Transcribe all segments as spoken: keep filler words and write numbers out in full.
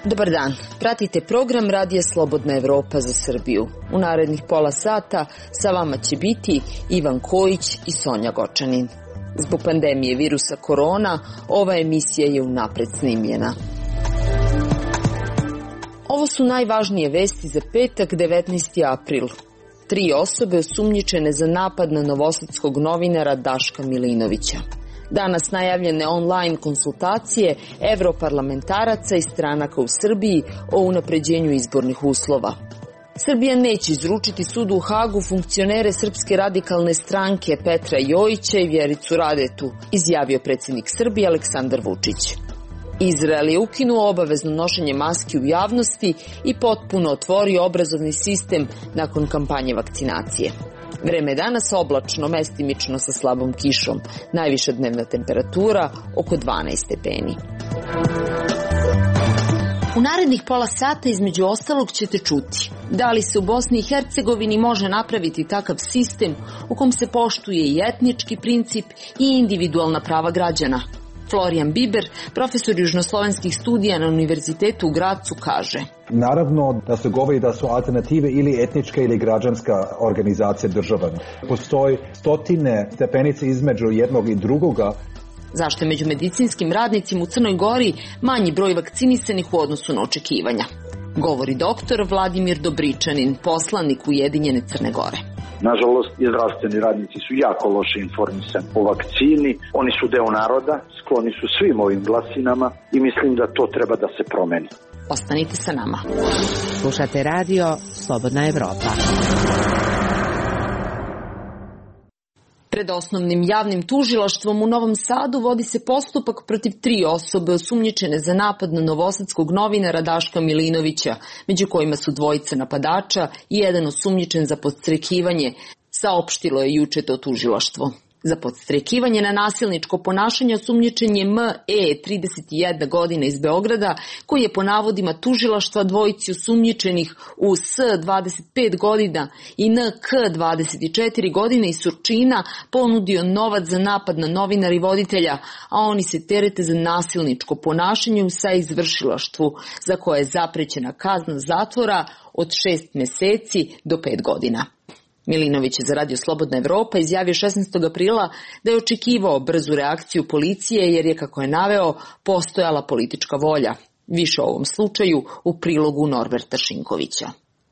Dobar dan, pratite program Radija Slobodna Evropa za Srbiju. U narednih pola sata sa vama će biti Ivan Kojić i Sonja Gočanin. Zbog pandemije virusa korona, ova emisija je unapred snimljena. Ovo su najvažnije vesti za petak, devetnaesti april. Tri osobe osumnjičene za napad na novosadskog novinara Daška Milinovića. Danas najavljene online konsultacije evroparlamentaraca i stranaka u Srbiji o unapređenju izbornih uslova. Srbija neće izručiti sudu u Hagu funkcionere Srpske radikalne stranke Petra Jojića i Vjericu Radetu, izjavio predsjednik Srbije Aleksandar Vučić. Izrael je ukinuo obavezno nošenje maski u javnosti i potpuno otvorio obrazovni sistem nakon kampanje vakcinacije. Vreme je danas oblačno, mestimično sa slabom kišom. Najviša dnevna temperatura oko dvanaest stepeni. U narednih pola sata između ostalog ćete čuti da li se u Bosni i Hercegovini može napraviti takav sistem u kom se poštuje i etnički princip i individualna prava građana. Florijan Biber, profesor južnoslovenskih studija na Univerzitetu u Gracu, kaže: Naravno da se govori da su alternative ili etnička ili građanska organizacija država. Postoji stotine stepenice između jednog i drugoga. Zašto je među medicinskim radnicima u Crnoj Gori manji broj vakcinisanih u odnosu na očekivanja? Govori doktor Vladimir Dobričanin, poslanik Ujedinjene Crne Gore. Nažalost, i zdravstveni radnici su jako loše informisani o vakcini. Oni su deo naroda, skloni su svim ovim glasinama i mislim da to treba da se promeni. Ostanite sa nama. Slušate radio Slobodna Evropa. Pred osnovnim javnim tužilaštvom u Novom Sadu vodi se postupak protiv tri osobe osumnjičene za napad na novosadskog novinara Daška Milinovića, među kojima su dvojica napadača i jedan osumnjičen za podstrekivanje, saopštilo je juče to tužilaštvo. Za podstrekivanje na nasilničko ponašanje osumnjičen je M E, trideset jedna godina, iz Beograda, koji je po navodima tužilaštva dvojici osumnjičenih u S, dvadeset pet godina, i N K, dvadeset četiri godine, iz Surčina ponudio novac za napad na novinara i voditelja, a oni se terete za nasilničko ponašanje u saizvršilaštvu, za koje je zaprećena kazna zatvora od šest meseci do pet godina. Milinović je za Radio Slobodna Evropa izjavio šesnaestog aprila da je očekivao brzu reakciju policije jer je, kako je naveo, postojala politička volja. Više o ovom slučaju u prilogu Norberta Šinkovića.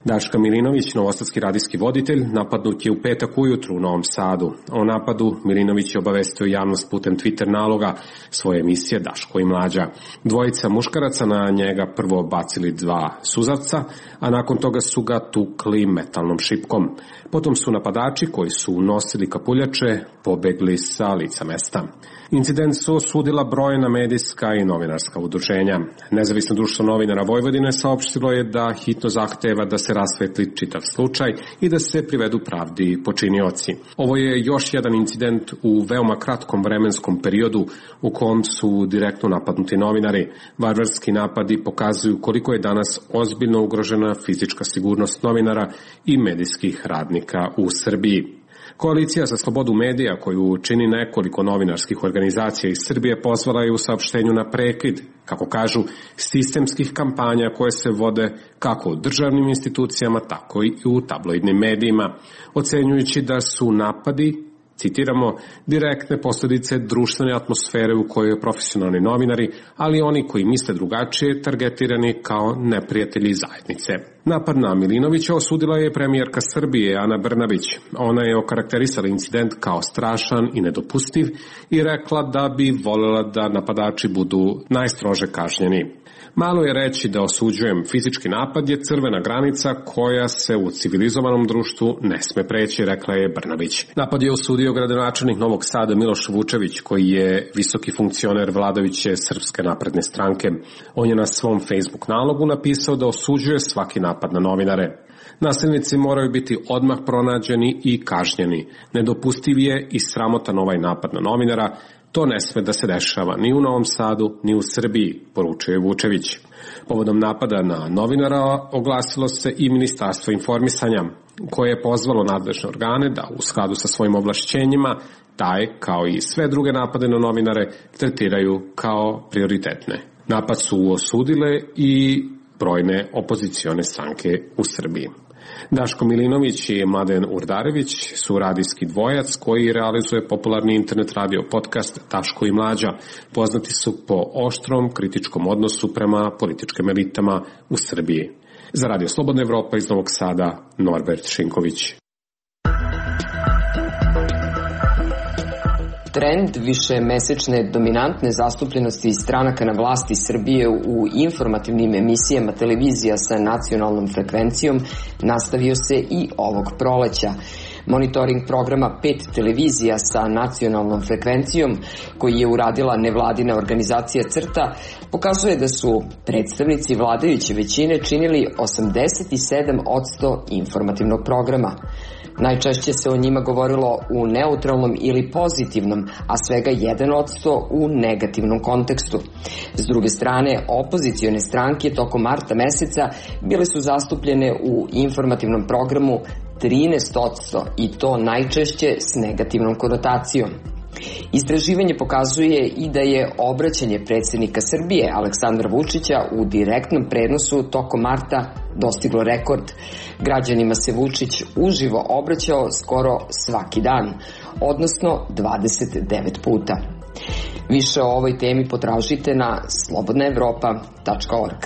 Daška Milinović, novosadski radijski voditelj, napadnut je u petak ujutru u Novom Sadu. O napadu Milinović je obavestio javnost putem Twitter naloga svoje emisije Daško i Mlađa. Dvojica muškaraca na njega prvo bacili dva suzavca, a nakon toga su ga tukli metalnom šipkom. Potom su napadači, koji su nosili kapuljače, pobegli sa lica mesta. Incident su osudila brojna medijska i novinarska udruženja. Nezavisno društvo novinara Vojvodine saopštilo je da hitno zahteva da se rasvetli čitav slučaj i da se privedu pravdi počinioci. Ovo je još jedan incident u veoma kratkom vremenskom periodu u kom su direktno napadnuti novinari. Varvarski napadi pokazuju koliko je danas ozbiljno ugrožena fizička sigurnost novinara i medijskih radnika u Srbiji. Koalicija za slobodu medija, koju čini nekoliko novinarskih organizacija iz Srbije, pozvala je u saopštenju na prekid, kako kažu, sistemskih kampanja koje se vode kako u državnim institucijama, tako i u tabloidnim medijima, ocenjujući da su napadi, citiramo, direktne posljedice društvene atmosfere u kojoj profesionalni novinari, ali oni koji misle drugačije, targetirani kao neprijatelji zajednice. Napad na Milinovića osudila je premijerka Srbije Ana Brnabić. Ona je okarakterisala incident kao strašan i nedopustiv i rekla da bi voljela da napadači budu najstrože kažnjeni. Malo je reći da osuđujem, fizički napad je crvena granica koja se u civilizovanom društvu ne sme preći, rekla je Brnabić. Napad je osudio gradonačelnik Novog Sada Miloš Vučević, koji je visoki funkcioner vladajuće Srpske napredne stranke. On je na svom Facebook nalogu napisao da osuđuje svaki napad na novinare. Nasilnici moraju biti odmah pronađeni i kažnjeni. Nedopustiv je i sramotan ovaj napad na novinara. To ne sme da se dešava ni u Novom Sadu, ni u Srbiji, poručuje Vučević. Povodom napada na novinara oglasilo se i Ministarstvo informisanja, koje je pozvalo nadležne organe da u skladu sa svojim ovlašćenjima taj, kao i sve druge napade na novinare, tretiraju kao prioritetne. Napad su osudile i brojne opozicione stranke u Srbiji. Daško Milinović i Mladen Urdarević su radijski dvojac koji realizuje popularni internet radio podcast Daško i Mlađa. Poznati su po oštrom kritičkom odnosu prema političkim elitama u Srbiji. Za Radio Slobodna Evropa iz Novog Sada, Norbert Šinković. Trend višemesečne dominantne zastupljenosti stranaka na vlasti Srbije u informativnim emisijama televizija sa nacionalnom frekvencijom nastavio se i ovog proleća. Monitoring programa pet televizija sa nacionalnom frekvencijom, koji je uradila nevladina organizacija CRTA, pokazuje da su predstavnici vladajuće većine činili osamdeset sedam posto informativnog programa. Najčešće se o njima govorilo u neutralnom ili pozitivnom, a svega jedan posto u negativnom kontekstu. S druge strane, opozicione stranke tokom marta meseca bile su zastupljene u informativnom programu trinaest posto i to najčešće s negativnom konotacijom. Istraživanje pokazuje i da je obraćanje predsjednika Srbije Aleksandra Vučića u direktnom prenosu tokom marta dostiglo rekord. Građanima se Vučić uživo obraćao skoro svaki dan, odnosno dvadeset devet puta. Više o ovoj temi potražite na slobodna evropa tačka org.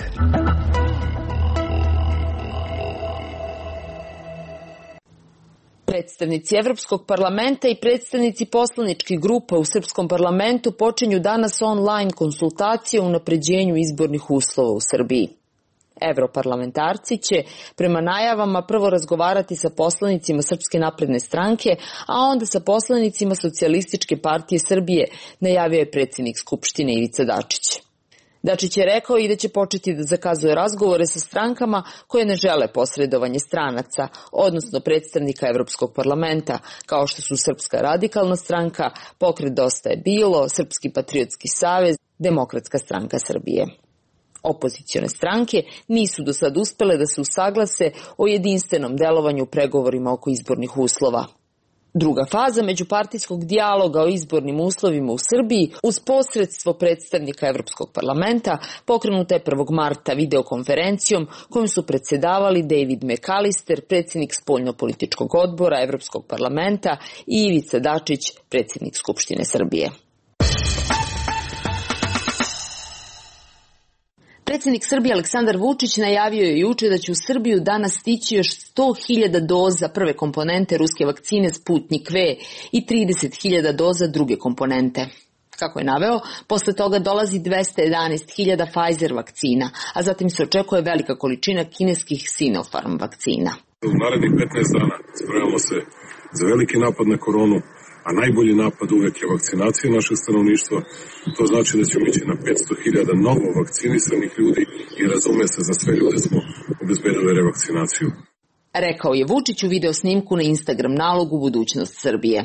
Predstavnici Evropskog parlamenta i predstavnici poslaničkih grupa u Srpskom parlamentu počinju danas online konsultacije o unapređenju izbornih uslova u Srbiji. Evroparlamentarci će prema najavama prvo razgovarati sa poslanicima Srpske napredne stranke, a onda sa poslanicima Socijalističke partije Srbije, najavio je predsjednik Skupštine Ivica Dačić. Dačić je rekao i da će početi da zakazuje razgovore sa strankama koje ne žele posredovanje stranaca, odnosno predstavnika Evropskog parlamenta, kao što su Srpska radikalna stranka, Pokret Dosta je bilo, Srpski patriotski savez, Demokratska stranka Srbije. Opozicione stranke nisu do sad uspele da se usaglase o jedinstvenom delovanju u pregovorima oko izbornih uslova. Druga faza međupartijskog dijaloga o izbornim uslovima u Srbiji uz posredstvo predstavnika Evropskog parlamenta pokrenuta je prvog marta videokonferencijom kojom su predsedavali David McAllister, predsjednik spoljnopolitičkog odbora Evropskog parlamenta, i Ivica Dačić, predsjednik Skupštine Srbije. Predsjednik Srbije Aleksandar Vučić najavio je juče da će u Srbiju danas stići još sto hiljada doza prve komponente ruske vakcine Sputnik V i trideset hiljada doza druge komponente. Kako je naveo, posle toga dolazi dvesta jedanaest hiljada Pfizer vakcina, a zatim se očekuje velika količina kineskih Sinopharm vakcina. U narednih petnaest dana spremamo se za veliki napad na koronu, a najbolji napad uvek je vakcinacija našeg stanovništva. To znači da ćemo ići na petsto hiljada novo vakcinisanih ljudi i razume se, za sve ljude smo obezbedili revakcinaciju. Rekao je Vučić u video snimku na Instagram nalogu Budućnost Srbije.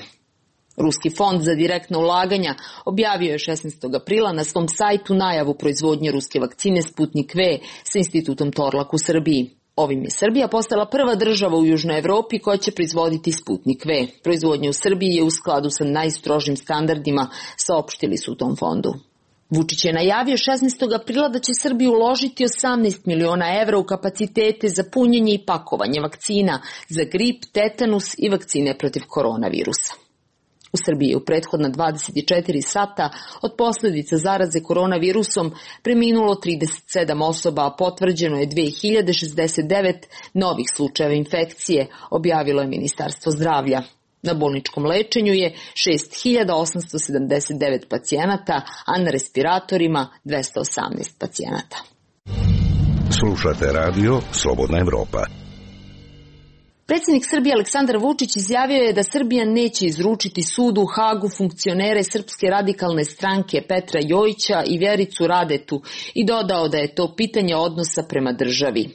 Ruski fond za direktna ulaganja objavio je šesnaestog aprila na svom sajtu najavu proizvodnje ruske vakcine Sputnik V sa institutom Torlak u Srbiji. Ovim je Srbija postala prva država u Južnoj Evropi koja će proizvoditi Sputnik V. Proizvodnja u Srbiji je u skladu sa najstrožim standardima, saopštili su u tom fondu. Vučić je najavio šesnaestog aprila da će Srbija uložiti osamnaest miliona evra u kapacitete za punjenje i pakovanje vakcina za grip, tetanus i vakcine protiv koronavirusa. U Srbiji je u prethodna dvadeset četiri sata od posljedica zaraze koronavirusom preminulo trideset sedam osoba, a potvrđeno je dve hiljade šezdeset devet novih slučajeva infekcije, objavilo je Ministarstvo zdravlja. Na bolničkom lečenju je šest hiljada osamsto sedamdeset devet pacijenata, a na respiratorima dvesta osamnaest pacijenata. Slušate radio Slobodna Evropa. Predsjednik Srbije Aleksandar Vučić izjavio je da Srbija neće izručiti sudu u Hagu funkcionere Srpske radikalne stranke Petra Jojića i Vjericu Radetu i dodao da je to pitanje odnosa prema državi.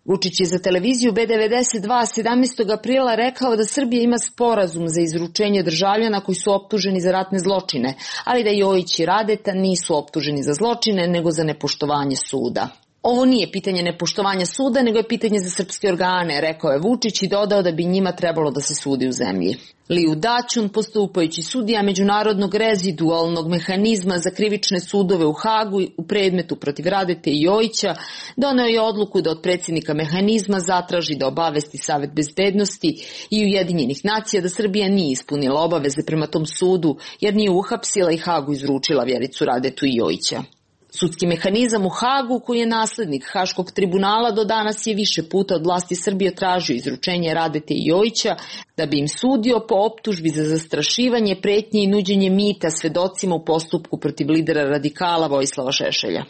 Vučić je za televiziju B devedeset dva sedamnaestog aprila rekao da Srbija ima sporazum za izručenje državljana koji su optuženi za ratne zločine, ali da Jojić i Radeta nisu optuženi za zločine, nego za nepoštovanje suda. Ovo nije pitanje nepoštovanja suda, nego je pitanje za srpske organe, rekao je Vučić i dodao da bi njima trebalo da se sudi u zemlji. Liu Daćun, postupajući sudija međunarodnog rezidualnog mehanizma za krivične sudove u Hagu u predmetu protiv Radete i Jojića, doneo je odluku da od predsjednika mehanizma zatraži da obavesti Savet bezbednosti i Ujedinjenih nacija da Srbija nije ispunila obaveze prema tom sudu jer nije uhapsila i Hagu izručila Vjericu Radetu i Jojića. Sudski mehanizam u Hagu, koji je naslednik Haškog tribunala, do danas je više puta od vlasti Srbije tražio izručenje Radete i Jojića da bi im sudio po optužbi za zastrašivanje, pretnje i nuđenje mita svedocima u postupku protiv lidera radikala Vojislava Šešelja.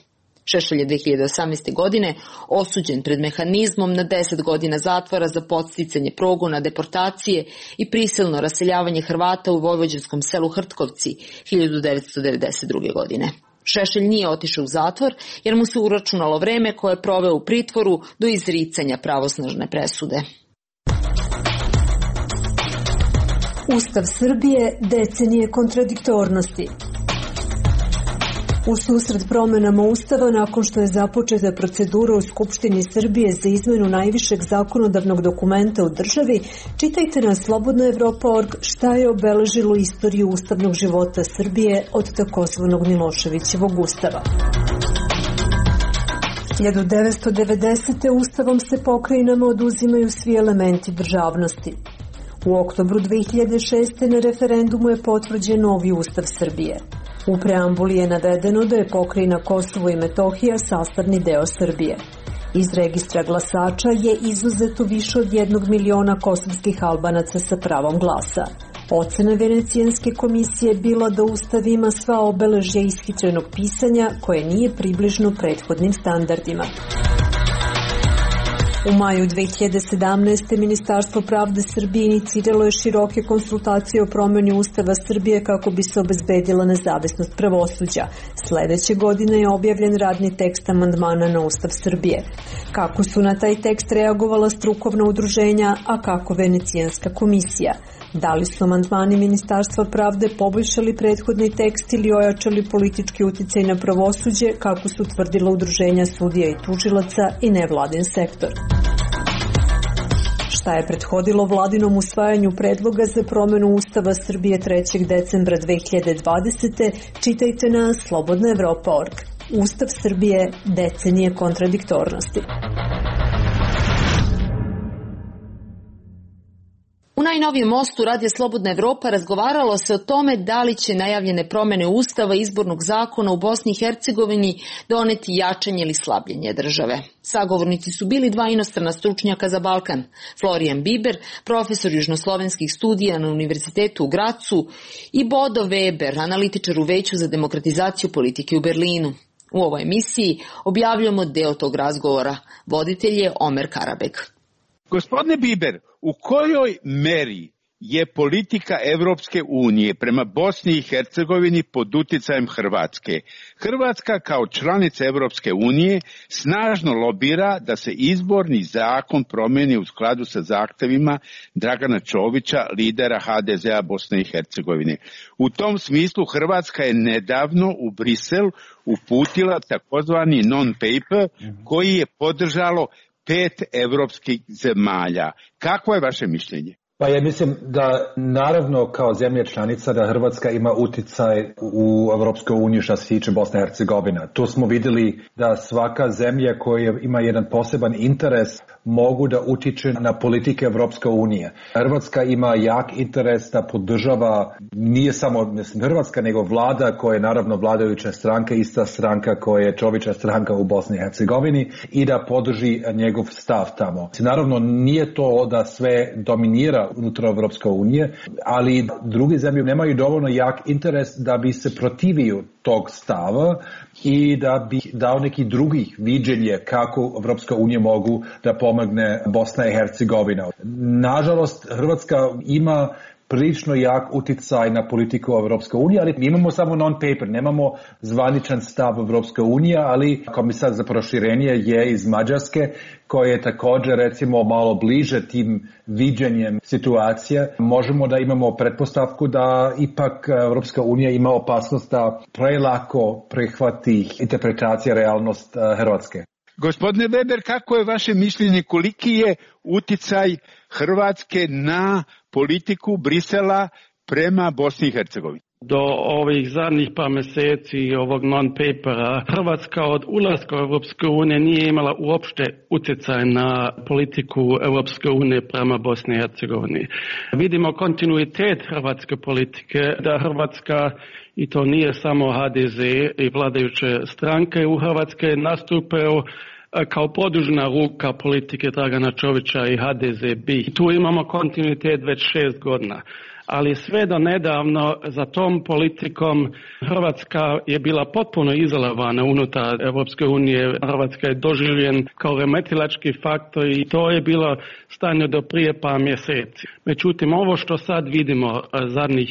Šešelj je dve hiljade osamnaeste. godine osuđen pred mehanizmom na deset godina zatvora za podsticanje progona, deportacije i prisilno raseljavanje Hrvata u vojvođanskom selu Hrtkovci hiljadu devetsto devedeset druge. godine. Šešelj nije otišao u zatvor jer mu se uračunalo vreme koje je proveo u pritvoru do izricanja pravosnažne presude. Ustav Srbije decenije kontradiktornosti. U susret promenama Ustava, nakon što je započeta procedura u Skupštini Srbije za izmenu najvišeg zakonodavnog dokumenta u državi, čitajte na slobodna evropa tačka org šta je obeležilo istoriju ustavnog života Srbije od takozvanog Miloševićevog ustava. hiljadu devetsto devedesete. Ustavom se pokrajinama oduzimaju svi elementi državnosti. U oktobru dve hiljade šeste. na referendumu je potvrđen novi Ustav Srbije. U preambuli je navedeno da je pokrajina Kosovo i Metohija sastavni deo Srbije. Iz registra glasača je izuzeto više od jednog miliona kosovskih Albanaca sa pravom glasa. Ocena Venecijanske komisije je bila da Ustav ima sva obeležja ishitrenog pisanja koje nije približno prethodnim standardima. U maju dve hiljade sedamnaeste. Ministarstvo pravde Srbije iniciralo je široke konsultacije o promjeni Ustava Srbije kako bi se obezbedila nezavisnost pravosuđa. Sledeće godine je objavljen radni tekst amandmana na Ustav Srbije. Kako su na taj tekst reagovala strukovna udruženja, a kako Venecijanska komisija? Da li su amandmani Ministarstva pravde poboljšali prethodni tekst ili ojačali politički uticaj na pravosuđe, kako su tvrdila udruženja sudija i tužilaca i nevladin sektor? Šta je prethodilo vladinom usvajanju predloga za promjenu Ustava Srbije trećeg decembra dve hiljade dvadesete. čitajte na slobodna evropa tačka org. Ustav Srbije decenije kontradiktornosti. U najnovijem mostu Radija Slobodna Evropa razgovaralo se o tome da li će najavljene promjene Ustava i izbornog zakona u Bosni i Hercegovini doneti jačanje ili slabljenje države. Sagovornici su bili dva inostrana stručnjaka za Balkan, Florijan Biber, profesor južnoslovenskih studija na Univerzitetu u Gracu, i Bodo Weber, analitičar u Veću za demokratizaciju politike u Berlinu. U ovoj emisiji objavljamo deo tog razgovora. Voditelj je Omer Karabek. Gospodine Biber, u kojoj meri je politika Evropske unije prema Bosni i Hercegovini pod uticajem Hrvatske? Hrvatska kao članica Evropske unije snažno lobira da se izborni zakon promijeni u skladu sa zahtevima Dragana Čovića, lidera ha de zea Bosne i Hercegovine. U tom smislu Hrvatska je nedavno u Brisel uputila takozvani non-paper koji je podržalo pet evropskih zemalja. Kako je vaše mišljenje? Pa ja mislim da naravno kao zemlja članica da Hrvatska ima uticaj u Evropskoj uniji što se tiče Bosne i Hercegovine. Tu smo vidjeli da svaka zemlja koja ima jedan poseban interes mogu da utiče na politike Evropske unije. Hrvatska ima jak interes da podržava, nije samo mislim, Hrvatska, nego vlada koja je naravno vladajuća stranka, ista stranka koja je Čovića stranka u Bosni i Hercegovini, i da podrži njegov stav tamo. Naravno nije to da sve dominira unutar Evropske unije, ali druge zemlje nemaju dovoljno jak interes da bi se protivio tog stava i da bi dao neki drugih viđenje kako Evropska unija mogu da pomogne Bosna i Hercegovina. Nažalost, Hrvatska ima prilično jak uticaj na politiku Evropske unije, ali mi imamo samo non-paper, nemamo zvaničan stav Evropske unije, ali komisar za proširenje je iz Mađarske, koji je također recimo malo bliže tim viđenjem situacije. Možemo da imamo pretpostavku da ipak Evropska unija ima opasnost da prelako prihvati interpretacija realnost Hrvatske. Gospodine Weber, kako je vaše mišljenje, koliki je uticaj Hrvatske na politiku Brisela prema Bosni i Hercegovini? Do ovih zadnjih par mjeseci ovog non-papera Hrvatska od ulaska u Europske unije nije imala uopšte utjecaj na politiku Europske unije prema Bosni i Hercegovini. Vidimo kontinuitet hrvatske politike, da Hrvatska, i to nije samo H D Z i vladajuće stranke u Hrvatske, nastupaju kao produžena ruka politike Dragana Čovića i H D Z B. Tu imamo kontinuitet već šest godina. Ali sve do nedavno za tom politikom Hrvatska je bila potpuno izolovana unutar Europske unije. Hrvatska je doživljen kao remetilački faktor i to je bilo stanje do prije par mjeseci. Međutim, ovo što sad vidimo zadnjih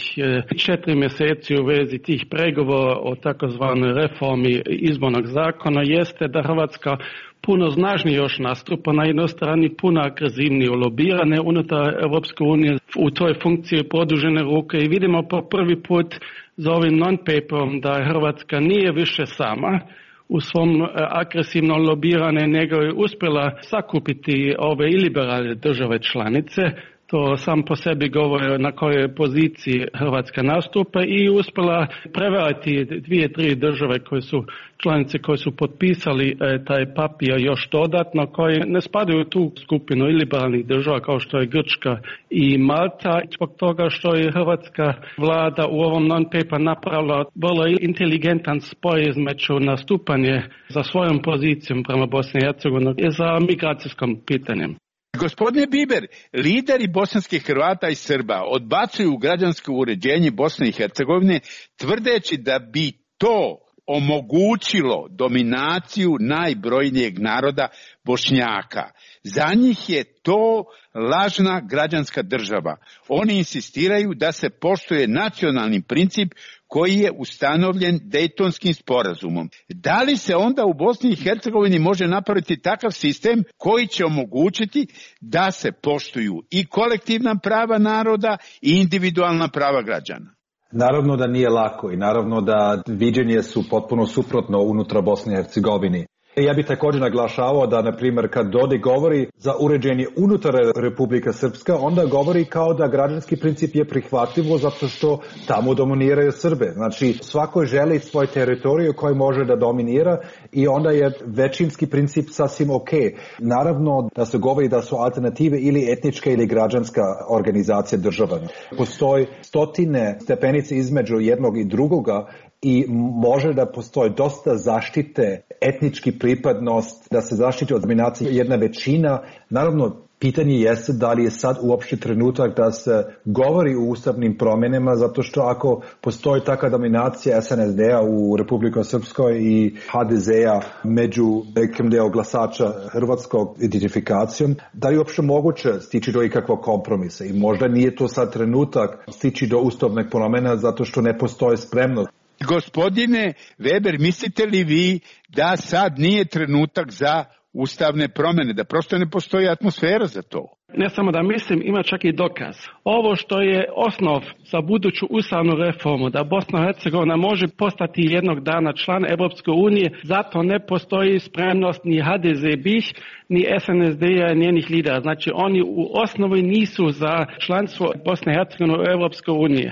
četiri mjeseci u vezi tih pregovora o takozvanoj reformi izbornog zakona jeste da Hrvatska puno snažnije još nastupa, na jednoj strani puno agresivnije lobirane unutar Europske unije u toj funkciji produžene ruke i vidimo po prvi put za ovim non-paperom da Hrvatska nije više sama u svom agresivnom lobirane, nego je uspjela sakupiti ove iliberalne države članice. To sam po sebi govori na kojoj poziciji Hrvatska nastupa i uspjela prevariti dvije, tri države koje su članice koje su potpisali e, taj papir još dodatno, koje ne spadaju u tu skupinu iliberalnih država kao što je Grčka i Malta. Zbog toga što je hrvatska vlada u ovom non-paper napravila vrlo inteligentan spoj između nastupanje za svojom pozicijom prema Bosni i Hercegovini i za migracijskom pitanjem. Gospodine Biber, lideri bosanskih Hrvata i Srba odbacuju građansko uređenje Bosne i Hercegovine tvrdeći da bi to omogućilo dominaciju najbrojnijeg naroda Bošnjaka. Za njih je to lažna građanska država. Oni insistiraju da se poštuje nacionalni princip koji je ustanovljen Dejtonskim sporazumom. Da li se onda u Bosni i Hercegovini može napraviti takav sistem koji će omogućiti da se poštuju i kolektivna prava naroda i individualna prava građana? Naravno da nije lako i naravno da viđenje su potpuno suprotno unutar Bosne i Hercegovine. Ja bih također naglašavao da, na primjer, kad Dodik govori za uređenje unutar Republika Srpska, onda govori kao da građanski princip je prihvatljivo zato što tamo dominiraju Srbe. Znači, svako želi svoj teritoriju koji može da dominira i onda je većinski princip sasvim ok. Naravno da se govori da su alternative ili etnička ili građanska organizacija država. Postoji stotine stepenice između jednog i drugoga i može da postoji dosta zaštite etnički pripadnost, da se zaštiti od dominacije jedna većina. Naravno, pitanje jeste da li je sad uopšte trenutak da se govori o ustavnim promjenama, zato što ako postoji takva dominacija S N S D-a u Republika Srpskoj i H D Z-a među nekim deo glasača hrvatskog identifikacijom, da li je uopšte moguće stići do ikakvog kompromisa i možda nije to sad trenutak stići do ustavnih promjena zato što ne postoji spremnost. Gospodine Weber, mislite li vi da sad nije trenutak za ustavne promjene, da prosto ne postoji atmosfera za to? Ne samo da mislim, ima čak i dokaz. Ovo što je osnov za buduću ustavnu reformu, da Bosna i Hercegovina može postati jednog dana član Europske unije, zato ne postoji spremnost ni H D Z B-ih, ni S N S D-a, njenih lidera. Znači, oni u osnovi nisu za članstvo Bosne i Hercegovine u Europskoj uniji.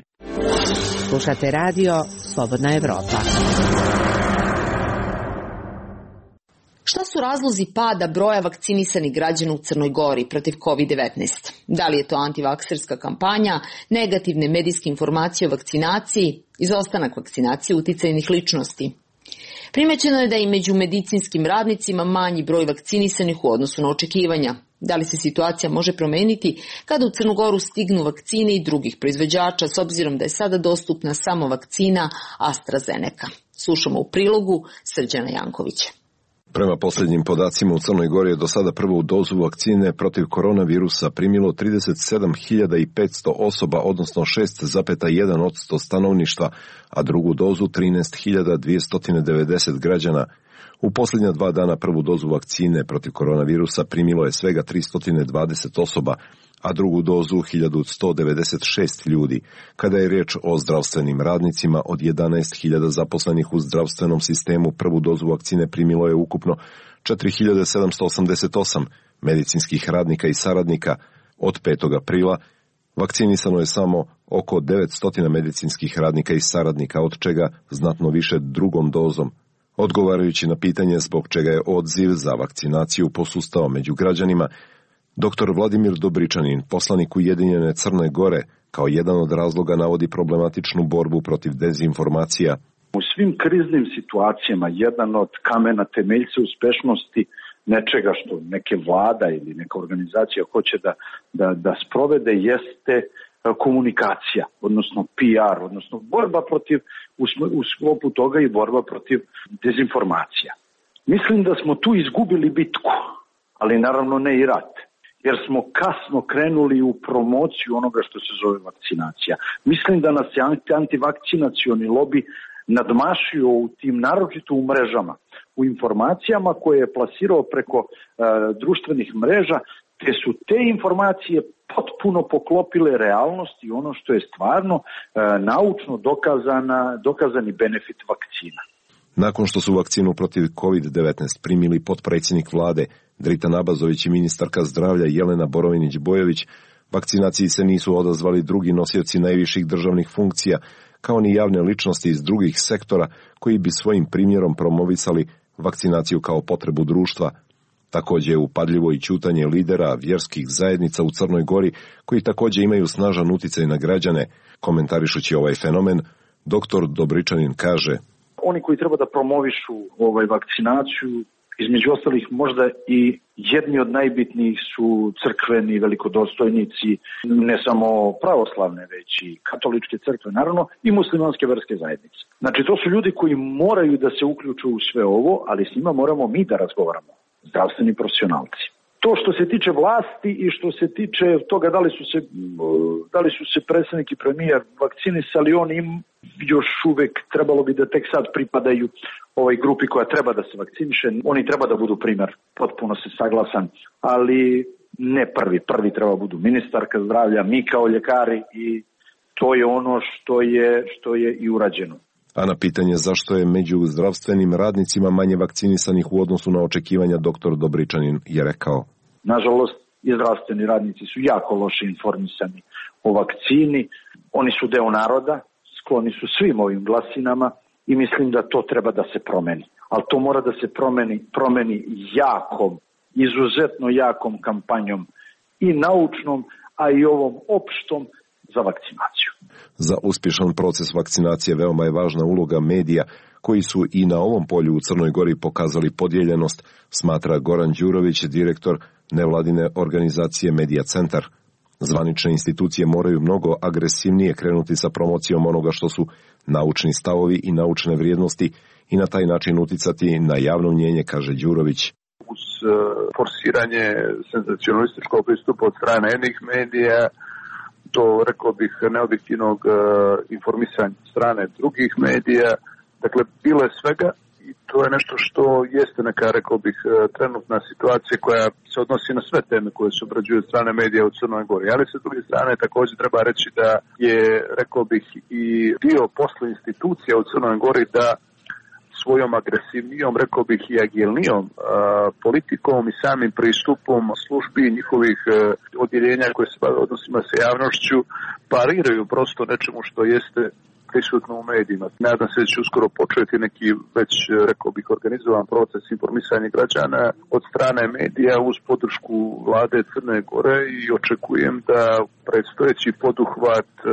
Slušate radio Slobodna Evropa. Šta su razlozi pada broja vakcinisanih građana u Crnoj Gori protiv kovid devetnaest? Da li je to antivakserska kampanja, negativne medijske informacije o vakcinaciji, izostanak vakcinacije uticajnih ličnosti? Primećeno je da i među medicinskim radnicima manji broj vakcinisanih u odnosu na očekivanja. Da li se situacija može promeniti kada u Crnu Goru stignu vakcine i drugih proizvođača, s obzirom da je sada dostupna samo vakcina AstraZeneca? Slušamo u prilogu Srđana Jankovića. Prema posljednjim podacima u Crnoj Gori je do sada prvu dozu vakcine protiv koronavirusa primilo trideset sedam hiljada petsto osoba, odnosno šest zarez jedan posto stanovništva, a drugu dozu trinaest hiljada dvjesto devedeset građana. U posljednja dva dana prvu dozu vakcine protiv koronavirusa primilo je svega tristo dvadeset osoba, a drugu dozu hiljadu sto devedeset šest ljudi. Kada je riječ o zdravstvenim radnicima, od jedanaest hiljada zaposlenih u zdravstvenom sistemu prvu dozu vakcine primilo je ukupno četiri hiljade sedamsto osamdeset osam medicinskih radnika i saradnika. Od petog aprila vakcinisano je samo oko devetsto medicinskih radnika i saradnika, od čega znatno više drugom dozom. Odgovarajući na pitanje zbog čega je odziv za vakcinaciju posustao među građanima, doktor Vladimir Dobričanin, poslanik Ujedinjene Crne Gore, kao jedan od razloga navodi problematičnu borbu protiv dezinformacija. U svim kriznim situacijama jedan od kamena temeljca uspešnosti nečega što neke vlada ili neka organizacija hoće da, da, da sprovede jeste komunikacija, odnosno P R, odnosno borba protiv, u sklopu toga i borba protiv dezinformacija. Mislim da smo tu izgubili bitku, ali naravno ne i rat, jer smo kasno krenuli u promociju onoga što se zove vakcinacija. Mislim da nas je antivakcinacioni lobi nadmašio u tim, naročito u mrežama, u informacijama koje je plasirao preko e, društvenih mreža, te su te informacije potpuno poklopile realnost i ono što je stvarno e, naučno dokazana, dokazani benefit vakcina. Nakon što su vakcinu protiv kovid devetnaest primili potpredsjednik vlade Drita Nabazović i ministarka zdravlja Jelena Borovinić-Bojović, vakcinaciji se nisu odazvali drugi nosioci najviših državnih funkcija, kao ni javne ličnosti iz drugih sektora koji bi svojim primjerom promovisali vakcinaciju kao potrebu društva. Također je upadljivo i ćutanje lidera vjerskih zajednica u Crnoj Gori, koji također imaju snažan utjecaj na građane. Komentarišući ovaj fenomen, doktor Dobričanin kaže: oni koji treba da promovišu ovaj vakcinaciju, između ostalih možda i jedni od najbitnijih su crkveni velikodostojnici, ne samo pravoslavne, već i katoličke crkve, naravno, i muslimanske verske zajednice. Znači, to su ljudi koji moraju da se uključu u sve ovo, ali s njima moramo mi da razgovaramo, zdravstveni profesionalci. To što se tiče vlasti i što se tiče toga da li su se, da li su se predsjednik i premijer vakcinisali, oni im još uvek trebalo bi da tek sad pripadaju ovoj grupi koja treba da se vakciniše. Oni treba da budu primjer, potpuno se saglasan, ali ne prvi. Prvi treba da budu ministarka zdravlja, mi kao ljekari, i to je ono što je, što je i urađeno. A na pitanje zašto je među zdravstvenim radnicima manje vakcinisanih u odnosu na očekivanja, doktor Dobričanin je rekao: nažalost, i zdravstveni radnici su jako loše informisani o vakcini. Oni su deo naroda, skloni su svim ovim glasinama i mislim da to treba da se promeni. Ali to mora da se promeni, promeni jakom, izuzetno jakom kampanjom i naučnom, a i ovom opštom za vakcinaciju. Za uspješan proces vakcinacije veoma je važna uloga medija, koji su i na ovom polju u Crnoj Gori pokazali podijeljenost, smatra Goran Đurović, direktor nevladine organizacije Medija Centar. Zvanične institucije moraju mnogo agresivnije krenuti sa promocijom onoga što su naučni stavovi i naučne vrijednosti i na taj način uticati na javno mnjenje, kaže Đurović. Uz forsiranje senzacionalističkog pristupa od strane jednih medija, do, rekao bih, neobjektivnog uh, informisanja strane drugih medija, dakle, bilo je svega i to je nešto što jeste neka, rekao bih, trenutna situacija koja se odnosi na sve teme koje se obrađuju od strane medija u Crnoj Gori. Ali sa druge strane također treba reći da je, rekao bih, i dio posla institucija u Crnoj Gori da svojom agresivnijom, rekao bih, i agilnijom uh, politikom i samim pristupom službi njihovih uh, odjeljenja koje se odnosima sa javnošću pariraju prosto nečemu što jeste prisutno u medijima. Nadam se da će uskoro početi neki već, rekao bih, organizovan proces informisanja građana od strane medija uz podršku vlade Crne Gore i očekujem da predstojeći poduhvat uh,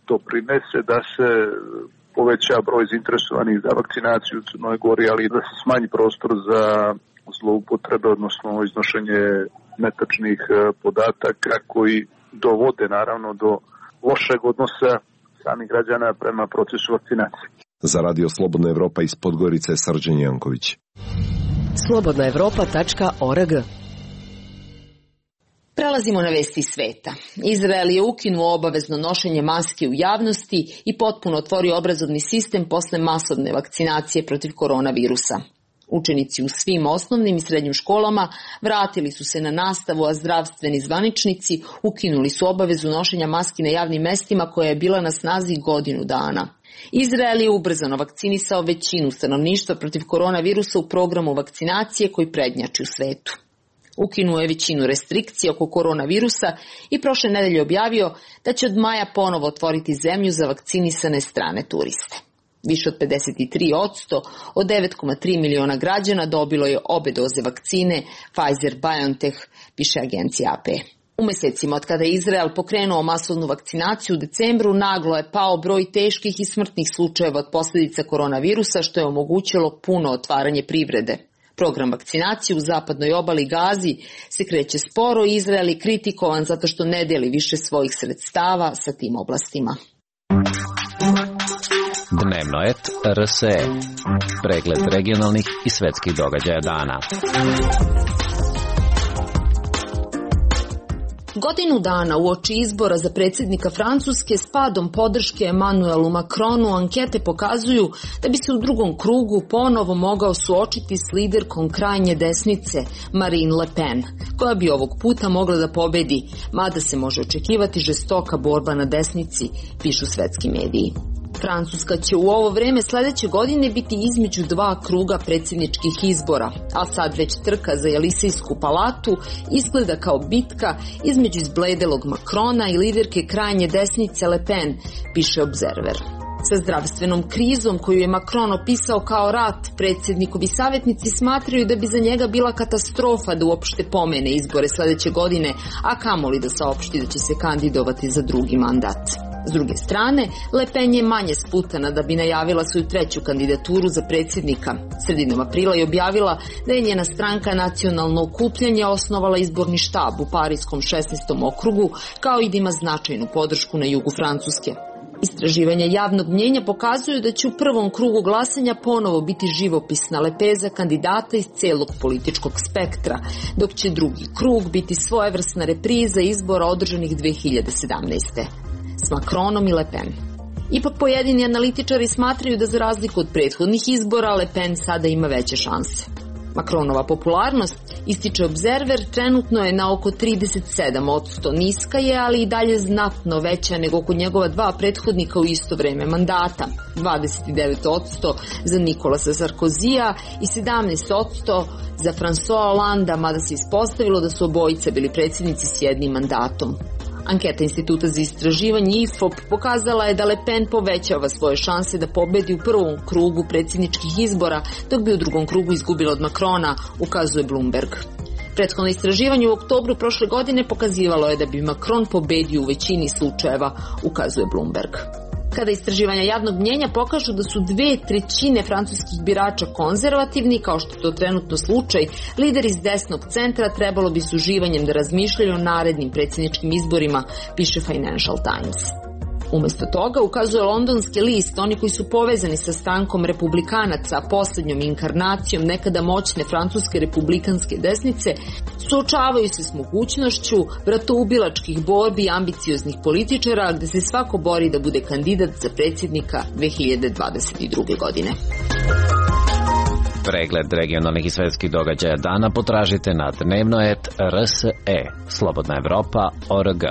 doprinese da se poveća broj zainteresovanih za vakcinaciju u Crnoj Gori, ali da se smanji prostor za zloupotrebe, odnosno iznošenje netačnih podataka koji dovode naravno do lošeg odnosa samih građana prema procesu vakcinacije. Za Radio Slobodna Evropa iz Podgorice, Srđan Janković. slobodna evropa tačka org. Prelazimo na vesti sveta. Izrael je ukinuo obavezno nošenje maske u javnosti i potpuno otvorio obrazovni sistem posle masovne vakcinacije protiv koronavirusa. Učenici u svim osnovnim i srednjim školama vratili su se na nastavu, a zdravstveni zvaničnici ukinuli su obavezu nošenja maski na javnim mestima koja je bila na snazi godinu dana. Izrael je ubrzano vakcinisao većinu stanovništva protiv koronavirusa u programu vakcinacije koji prednjači u svetu. Ukinuo je većinu restrikcija oko koronavirusa i prošle nedelje objavio da će od maja ponovo otvoriti zemlju za vakcinisane strane turiste. Više od pedeset tri posto od devet zarez tri miliona građana dobilo je obe doze vakcine Pfizer-BioNTech, piše agencija A P. U mesecima od kada je Izrael pokrenuo masovnu vakcinaciju u decembru, naglo je pao broj teških i smrtnih slučajeva od posljedica koronavirusa, što je omogućilo puno otvaranje privrede. Program vakcinacije u zapadnoj obali Gazi se kreće sporo i Izrael je kritikovan zato što ne deli više svojih sredstava sa tim oblastima. Dnevno et R S E. Pregled regionalnih i svetskih događaja dana. Godinu dana uoči izbora za predsjednika Francuske s padom podrške Emmanuelu Macronu ankete pokazuju da bi se u drugom krugu ponovo mogao suočiti s liderkom krajnje desnice Marine Le Pen, koja bi ovog puta mogla da pobedi, mada se može očekivati žestoka borba na desnici, pišu svetski mediji. Francuska će u ovo vreme sledeće godine biti između dva kruga predsjedničkih izbora, a sad već trka za Jelisejsku palatu izgleda kao bitka između izbledelog Macrona i liderke krajnje desnice Le Pen, piše Observer. Sa zdravstvenom krizom koju je Macron opisao kao rat, predsjednikovi savjetnici smatraju da bi za njega bila katastrofa da uopšte pomene izbore sledeće godine, a kamoli da saopšti da će se kandidovati za drugi mandat. S druge strane, Le Pen je manje sputana da bi najavila svoju treću kandidaturu za predsjednika. Sredinom aprila je objavila da je njena stranka Nacionalno okupljanje osnovala izborni štab u Parijskom šesnaestom okrugu, kao i da ima značajnu podršku na jugu Francuske. Istraživanja javnog mnjenja pokazuju da će u prvom krugu glasanja ponovo biti živopisna lepeza kandidata iz celog političkog spektra, dok će drugi krug biti svojevrsna repriza izbora održanih dve hiljade sedamnaeste. S Macronom i Le Pen. Ipak pojedini analitičari smatraju da za razliku od prethodnih izbora Le Pen sada ima veće šanse. Macronova popularnost, ističe Observer, trenutno je na oko trideset sedam posto, niska je, ali i dalje znatno veća nego kod njegova dva prethodnika u isto vreme mandata, dvadeset devet posto za Nicolasa Sarkozija i sedamnaest posto za François Hollanda, mada se ispostavilo da su obojica bili predsjednici s jednim mandatom. Anketa Instituta za istraživanje I F O P pokazala je da Le Pen povećava svoje šanse da pobedi u prvom krugu predsjedničkih izbora, dok bi u drugom krugu izgubila od Macrona, ukazuje Bloomberg. Prethodno istraživanje u oktobru prošle godine pokazivalo je da bi Macron pobedio u većini slučajeva, ukazuje Bloomberg. Kada istraživanja javnog mnjenja pokažu da su dve trećine francuskih birača konzervativni, kao što je to trenutno slučaj, lideri iz desnog centra trebalo bi s uživanjem da razmišljaju o narednim predsjedničkim izborima, piše Financial Times. Umesto toga, ukazuje londonski list, oni koji su povezani sa strankom republikanaca, poslednjom inkarnacijom nekada moćne francuske republikanske desnice, suočavaju se s mogućnošću bratoubilačkih borbi i ambicioznih političara, gde se svako bori da bude kandidat za predsjednika dve hiljade dvadeset druge. godine. Pregled regionalnih i svetskih događaja dana potražite na dnevno et R S E, slobodna evropa tačka org.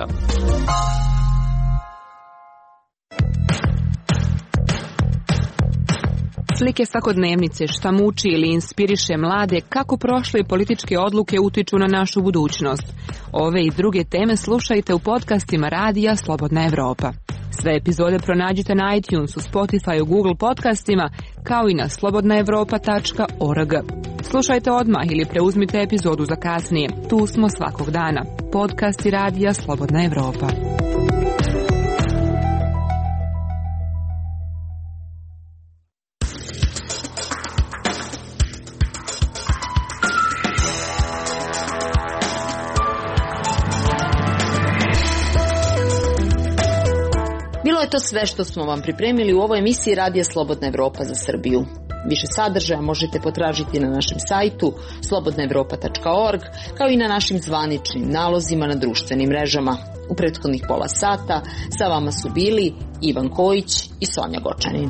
Slike svakodnevnice, šta muči ili inspiriše mlade, kako prošle političke odluke utiču na našu budućnost. Ove i druge teme slušajte u podcastima radija Slobodna Evropa. Sve epizode pronađite na iTunesu, Spotify, Google podcastima, kao i na slobodna evropa tačka org. Slušajte odmah ili preuzmite epizodu za kasnije. Tu smo svakog dana. Podcasti radija Slobodna Evropa. Bilo je to sve što smo vam pripremili u ovoj emisiji Radija Slobodna Evropa za Srbiju. Više sadržaja možete potražiti na našem sajtu slobodna evropa tačka org, kao i na našim zvaničnim nalozima na društvenim mrežama. U prethodnih pola sata sa vama su bili Ivan Kojić i Sonja Gočanin.